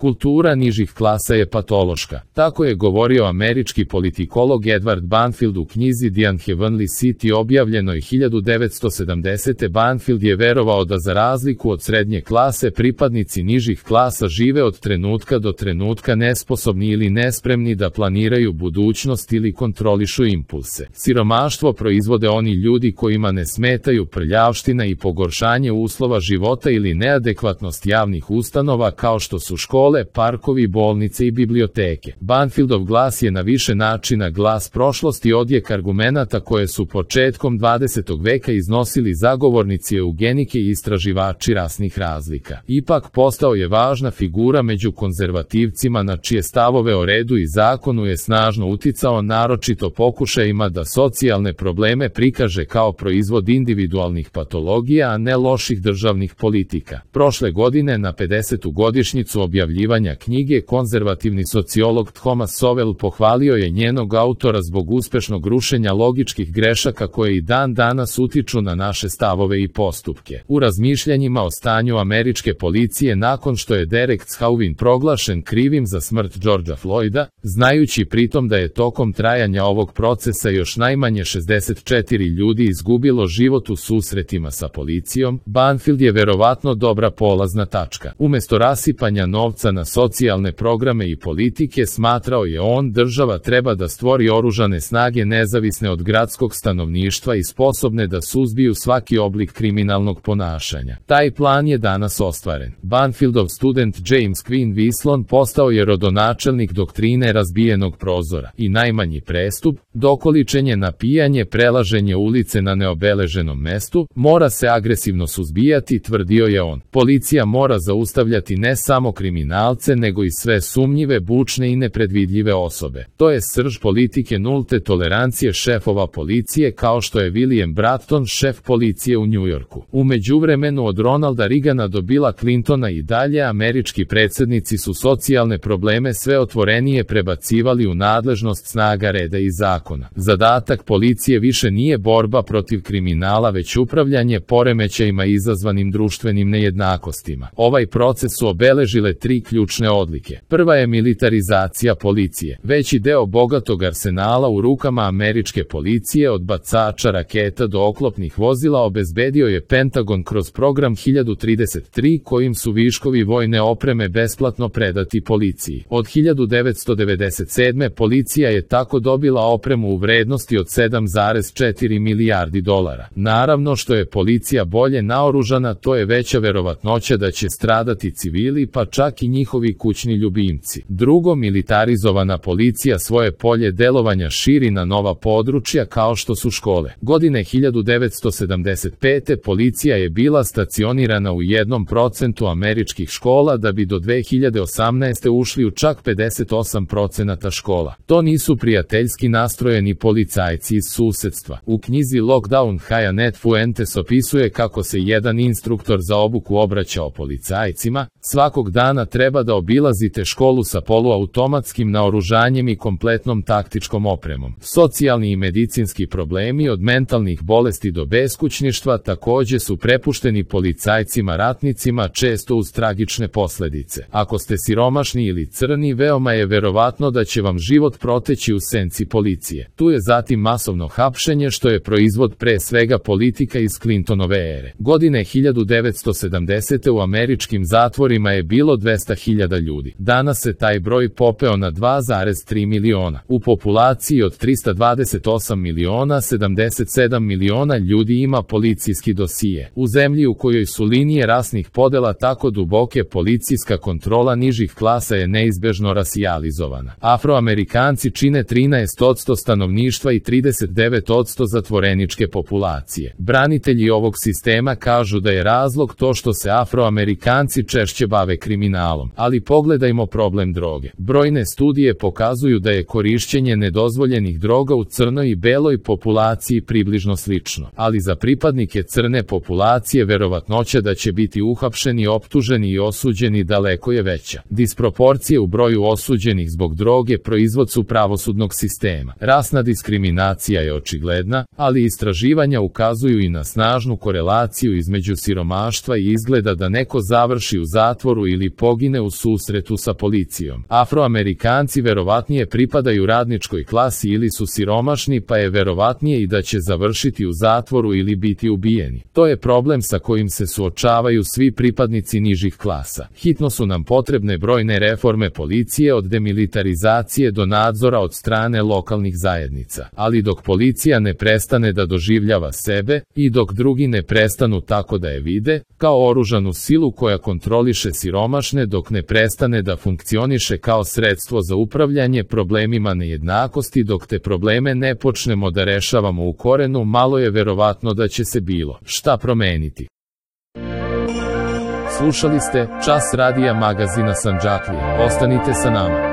Kultura nižih klasa je patološka. Tako je govorio američki politikolog Edward Banfield u knjizi The Unheavenly City objavljenoj 1970. Banfield je verovao da za razliku od srednje klase pripadnici nižih klasa žive od trenutka do trenutka nesposobni ili nespremni da planiraju budućnost ili kontrolišu impulse. Siromaštvo proizvode oni ljudi kojima ne smetaju prljavština i pogoršanje uslova života ili neadekvatnost javnih ustanova kao što su škole, parkovi, bolnice i biblioteke. Banfieldov glas je na više načina glas prošlosti, odjek argumenata koje su početkom 20. veka iznosili zagovornici eugenike i istraživači rasnih razlika. Ipak postao je važna figura među konzervativcima na čije stavove o redu i zakonu je snažno uticao, naročito pokušajima da socijalne probleme prikaže kao proizvod individualnih patologija, a ne loših državnih politika. Prošle godine na 50. godišnjicu objavljivanja knjige konzervativni sociolog Thomas Sowell pohvalio je njenog autora zbog uspešnog rušenja logičkih grešaka koje i dan danas utiču na naše stavove i postupke. U razmišljanjima o stanju američke policije nakon što je Derek Chauvin proglašen krivim za smrt Georgea Floyda, znajući pritom da je tokom trajanja ovog procesa još najmanje 64 ljudi izgubilo život u susretima sa policijom, Banfield je verovatno dobra polazna tačka. Umesto rasipanja novca na socijalne programe i politike, smatrao je on, država treba da stvori oružane snage nezavisne od gradskog stanovništva i sposobne da suzbiju svaki oblik kriminalnog ponašanja. Taj plan je danas ostvaren. Banfieldov student James Quinn Wislon postao je rodonačelnik doktrine razbijenog prozora i najmanji prestup, dokoličenje na pijanje, prelaženje ulice na neobeleženom mestu, mora se agresivno suzbijati, tvrdio je on. Policija mora zaustavljati ne samo kriminalce nego i sve sumnjive, bučne i nepredvidljive osobe. To je srž politike nulte tolerancije šefova policije kao što je William Bratton, šef policije u Njujorku. U međuvremenu od Ronalda Reagana do Billa Clintona i dalje američki predsjednici su socijalne probleme sve otvorenije prebacivali u nadležnost snaga reda i zakona. Zadatak policije više nije borba protiv kriminala već upravljanje poremećajima izazvanim društvenim nejednakostima. Ovaj proces su obeležile tri ključne odlike. Prva je militarizacija policije. Veći deo bogatog arsenala u rukama američke policije od bacača raketa do oklopnih vozila obezbedio je Pentagon kroz program 1033 kojim su viškovi vojne opreme besplatno predati policiji. Od 1997. policija je tako dobila opremu u vrednosti od 7,4 milijardi dolara. Naravno što je policija bolje naoružana, to je veća verovatnoća da će stradati civili pa čak i njihovi kućni ljubimci. Drugo, militarizovana policija svoje polje delovanja širi na nova područja kao što su škole. Godine 1975. policija je bila stacionirana u 1% američkih škola da bi do 2018. ušli u čak 58% škola. To nisu prijateljski nastrojeni policajci iz susedstva. U knjizi Lockdown Hyanet Fuentes opisuje kako se jedan instruktor za obuku obraćao policajcima: svakog dana treba da obilazite školu sa poluautomatskim naoružanjem i kompletnom taktičkom opremom. Socijalni i medicinski problemi od mentalnih bolesti do beskućništva takođe su prepušteni policajcima ratnicima, često uz tragične posledice. Ako ste siromašni ili crni, veoma je verovatno da će vam život proteći u senci policije. Tu je zatim masovno hapšenje što je proizvod pre svega politika iz Clintonove ere. Godine 1970. u američkim zatvorima je bilo 200.000 ljudi. Danas se taj broj popeo na 2,3 miliona. U populaciji od 328 miliona 77 miliona ljudi ima policijski dosije. U zemlji u kojoj su linije rasnih podela tako duboke, policijska kontrola nižih klasa je neizbežno rasijalizovana. Afroamerikanci čine 13% stanovništva i 39% zatvoreničke populacije. Branitelji ovog sistema kažu da je razlog to što se Afroamerikanci češće bave kriminalom. Ali pogledajmo problem droge. Brojne studije pokazuju da je korišćenje nedozvoljenih droga u crnoj i beloj populaciji približno slično. Ali za pripadnike crne populacije verovatnoća da će biti uhapšeni, optuženi i osuđeni daleko je veća. Disproporcije u broju osuđenih zbog droge proizvod su pravosudnog sistema. Rasna diskriminacija je očigledna, ali istraživanja ukazuju i na snažnu korelaciju između siromaštva i izgleda da neko završi u zatvoru ili pogine manjine u susretu sa policijom. Afroamerikanci verovatnije pripadaju radničkoj klasi ili su siromašni, pa je verovatnije i da će završiti u zatvoru ili biti ubijeni. To je problem sa kojim se suočavaju svi pripadnici nižih klasa. Hitno su nam potrebne brojne reforme policije, od demilitarizacije do nadzora od strane lokalnih zajednica. Ali dok policija ne prestane da doživljava sebe i dok drugi ne prestanu tako da je vide, kao oružanu silu koja kontroliše siromašne, dok ne prestane da funkcioniše kao sredstvo za upravljanje problemima nejednakosti, dok te probleme ne počnemo da rešavamo u korenu, malo je verovatno da će se bilo šta promeniti. Slušali ste Čas radija magazina Sandžaklije. Ostanite sa nama.